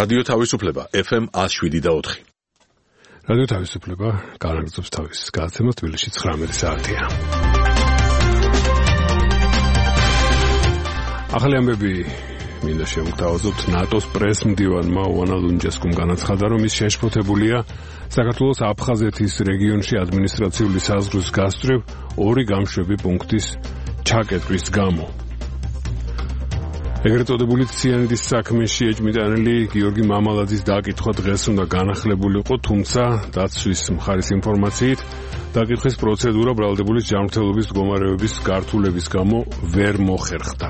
რადიო თავისუფლება FM 107.4. რადიო თავისუფლება განაგრძობს თავის გადაცემას თბილისში 19 საათია. ახალი ამბები მინდა შევთავაზოთ. ნატოს პრეს-მდივანმა ოანა ლუნჯესკუმ განაცხადა, რომ ის შეშფოთებულია საქართველოს აფხაზეთის რეგიონში ადმინისტრაციული საზღვრის გასწვრივ ორი გამშვები პუნქტის ჩაკეტვის გამო. ეგრეთ წოდებული ციანიდის საქმეში ეჭვმიტანილი გიორგი მამალაძის დაკითხვა დღეს უნდა განახლებულიყო, თუმცა დაცვის მხარის ინფორმაციით დაკითხვის პროცედურა ბრალდებულის ჯანმრთელობის მდგომარეობის გართულების გამო ვერ მოხერხდა.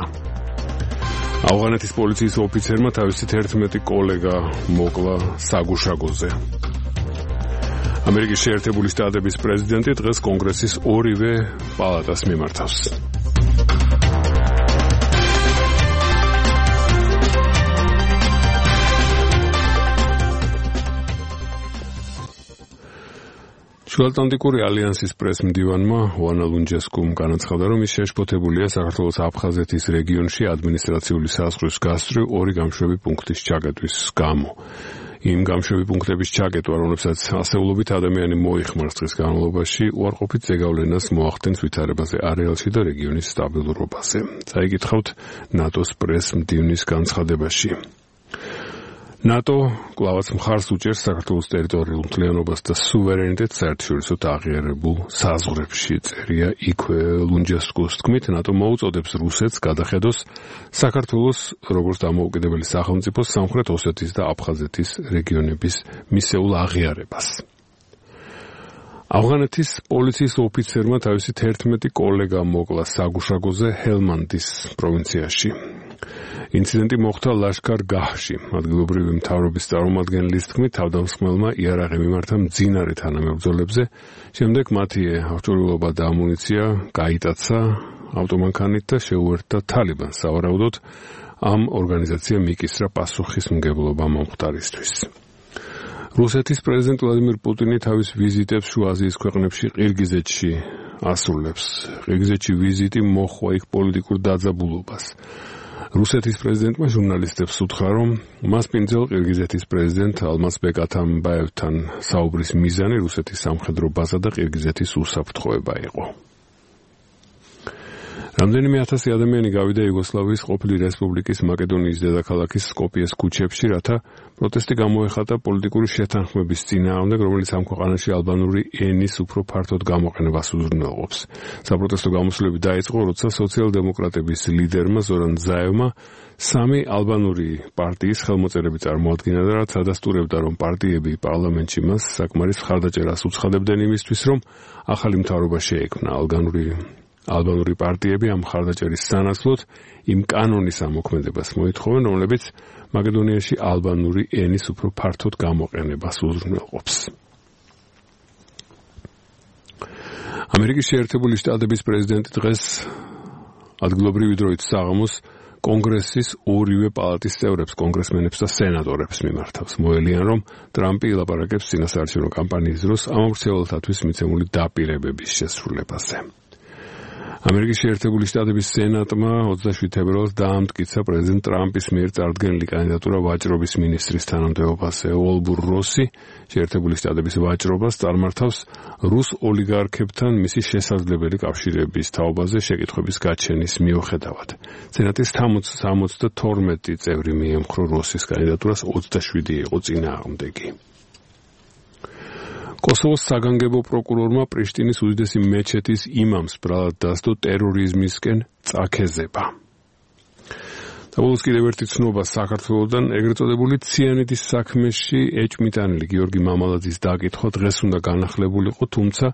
ავღანეთის პოლიციის ოფიცერმა თავისი 11 კოლეგა მოკლა საგუშაგოზე. ამერიკის შეერთებული შტატების პრეზიდენტი დღეს კონგრესის ორივე პალატას მიმართავს. შუაატლანტიკური ალიანსის პრეს-მდივანმა ოანა ლუნჯესკუმ განაცხადა, რომ ის შეშფოთებულია საქართველოს აფხაზეთის რეგიონში ადმინისტრაციული საზღვრის გასწვრივ ორი გამშვები პუნქტის ჩაკეტვის გამო. იმ გამშვები პუნქტების ჩაკეტვა, რომლებსაც ასეულობით ადამიანი მოიხმარს დღის განმავლობაში, უარყოფით ზეგავლენას მოახდენს ვითარებაზე არეალში და რეგიონის სტაბილურობაზე. წაიკითხავთ ნატოს პრეს-მდივნის განცხადებაში. ნატო კვლავაც მხარს უჭერს საქართველოს ტერიტორიულ მთლიანობას და სუვერენიტეტს საერთაშორისო აღიარებულ საზღვრებში, წერია იქვე ლუნჯესკუს თქმით, ნატო მოუწოდებს რუსეთს გადახედოს საქართველოს როგორც დამოუკიდებელი სახელმწიფოს სამხრეთ ოსეთის და აფხაზეთის რეგიონების მისეულ აღიარებას. ავღანეთის პოლიციის ოფიცერმა თავისი 11 კოლეგა მოკლა საგუშაგოზე ჰელმანდის პროვინციაში. ინციდენტი მოხდა ლაშქარ-გაჰში. ადგილობრივი მთავრობის წარმომადგენლის თქმით, თავდამსხმელმა იარაღი მიმართა მძინარე თანამებრძოლებზე, შემდეგ მათი აღჭურვილობა და ამუნიცია გაიტაცა ავტომანქანით და შეუერთდა თალიბანს. სავარაუდოდ ამ ორგანიზაციამ იკისრა პასუხისმგებლობა მომხდარისთვის. რუსეთის პრეზიდენტ ვლადიმირ პუტინი თავის ვიზიტებს შუა აზიის ქვეყნებში ყირგიზეთში ასრულებს. ყირგიზეთში ვიზიტი მოჰყვა იქ პოლიტიკურ დაძაბულობას. რუსეთის პრეზიდენტმა ჟურნალისტებს უთხრა, რომ მას პინძელ ყირგიზეთის პრეზიდენტ ალმაზბეკ ათამბაევთან საუბრის მიზანი რუსეთის სამხედრო ბაზა და ყირგიზეთის უსაფრთხოება იყო. რამდენიმე ათასი ადამიანი გავიდა იუგოსლავიის ყოფილი რესპუბლიკის მაკედონიის დედაქალაქის სკოპიეს ქუჩებში, რათა პროტესტი გამოეხატა პოლიტიკური შეთანხმების წინააღმდეგ, რომელიც ამ ქვეყანაში ალბანური ენის უფრო ფართოდ გამოყენებას უზრუნველყოფს. საპროტესტო გამოსვლები დაიწყო, როცა სოციალ-დემოკრატების ლიდერმა ზორან ზაევმა სამი ალბანური პარტიის ხელმოწერები წარმოადგინა და რაც ადასტურებდა, რომ პარტიები პარლამენტში მას საკმარის მხარდაჭერას უცხადებდნენ იმისთვის, რომ ახალი მთავრობა შეექმნა. ალბანური პარტიები ამ მხარდაჭერის სანაცვლოდ იმ კანონის ამოქმედებას მოითხოვენ, რომლებიც მაკედონიაში ალბანური ენის უფრო ფართოდ გამოყენებას უზრუნველყოფს. ამერიკის შეერთებული შტატების პრეზიდენტი დღეს ადგილობრივი დროით საღამოს კონგრესის ორივე პალატის წევრებს, კონგრესმენებს და სენატორებს მიმართავს. მოელიან, რომ ტრამპი ილაპარაკებს წინასაარჩევნო კამპანიის დროს ამომრჩეველთათვის მიცემული დაპირებების შესრულებაზე. ამერიკის შეერთებული შტატების სენატმა 27 თებერვალს დაამტკიცა პრეზიდენტ ტრამპის მიერ წარდგენილი კანდიდატურა ვაჭრობის მინისტრის თანამდებობაზე. უოლბურ როსი შეერთებული შტატების ვაჭრობას წარმართავს რუს ოლიგარქებთან მისი შესაძლებელი კავშირების თაობაზე შეკითხვების გაჩენის მიუხედავად. სენატის 72 წევრი მიემხრო როსის კანდიდატურას, 27 იყო წინააღმდეგი. კოსოვოს საგანგებო პროკურორმა პრიშტინის უდიდესი მეჩეთის იმამს ბრალად დასდო ტერორიზმისკენ წაქეზება. საბოლოოს კიდევ ერთი ცნობა საქართველოდან, ეგრეთ წოდებული ციანიდის საქმეში ეჭვმიტანილი გიორგი მამალაძის დაკითხვა დღეს უნდა განახლებულიყო, თუმცა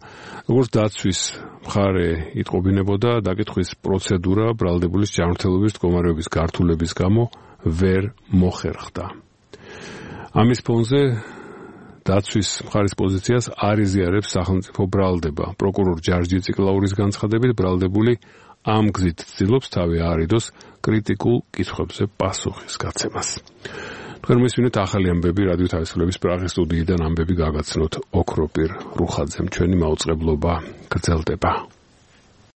როგორც დაცვის მხარე იტყობინებოდა, დაკითხვის პროცედურა ბრალდებულის ჯანმრთელობის მდგომარეობის გართულების გამო ვერ მოხერხდა. ამის ფონზე დაცვის მხარის პოზიციას არ იზიარებს სახელმწიფო ბრალდება. პროკურორ ჯარჯი ციკლაურის განცხადებით, ბრალდებული ამ გზით ცდილობს თავი აარიდოს კრიტიკულ კითხვებზე პასუხის გაცემას. თქვენ მისვინეთ ახალი ამბები რადიო თავისუფლების პრაღის სტუდიიდან ამბები გაგაცნოთ ოქროპირ რუხაძემ. ჩვენი მაუწყებლობა გრძელდება.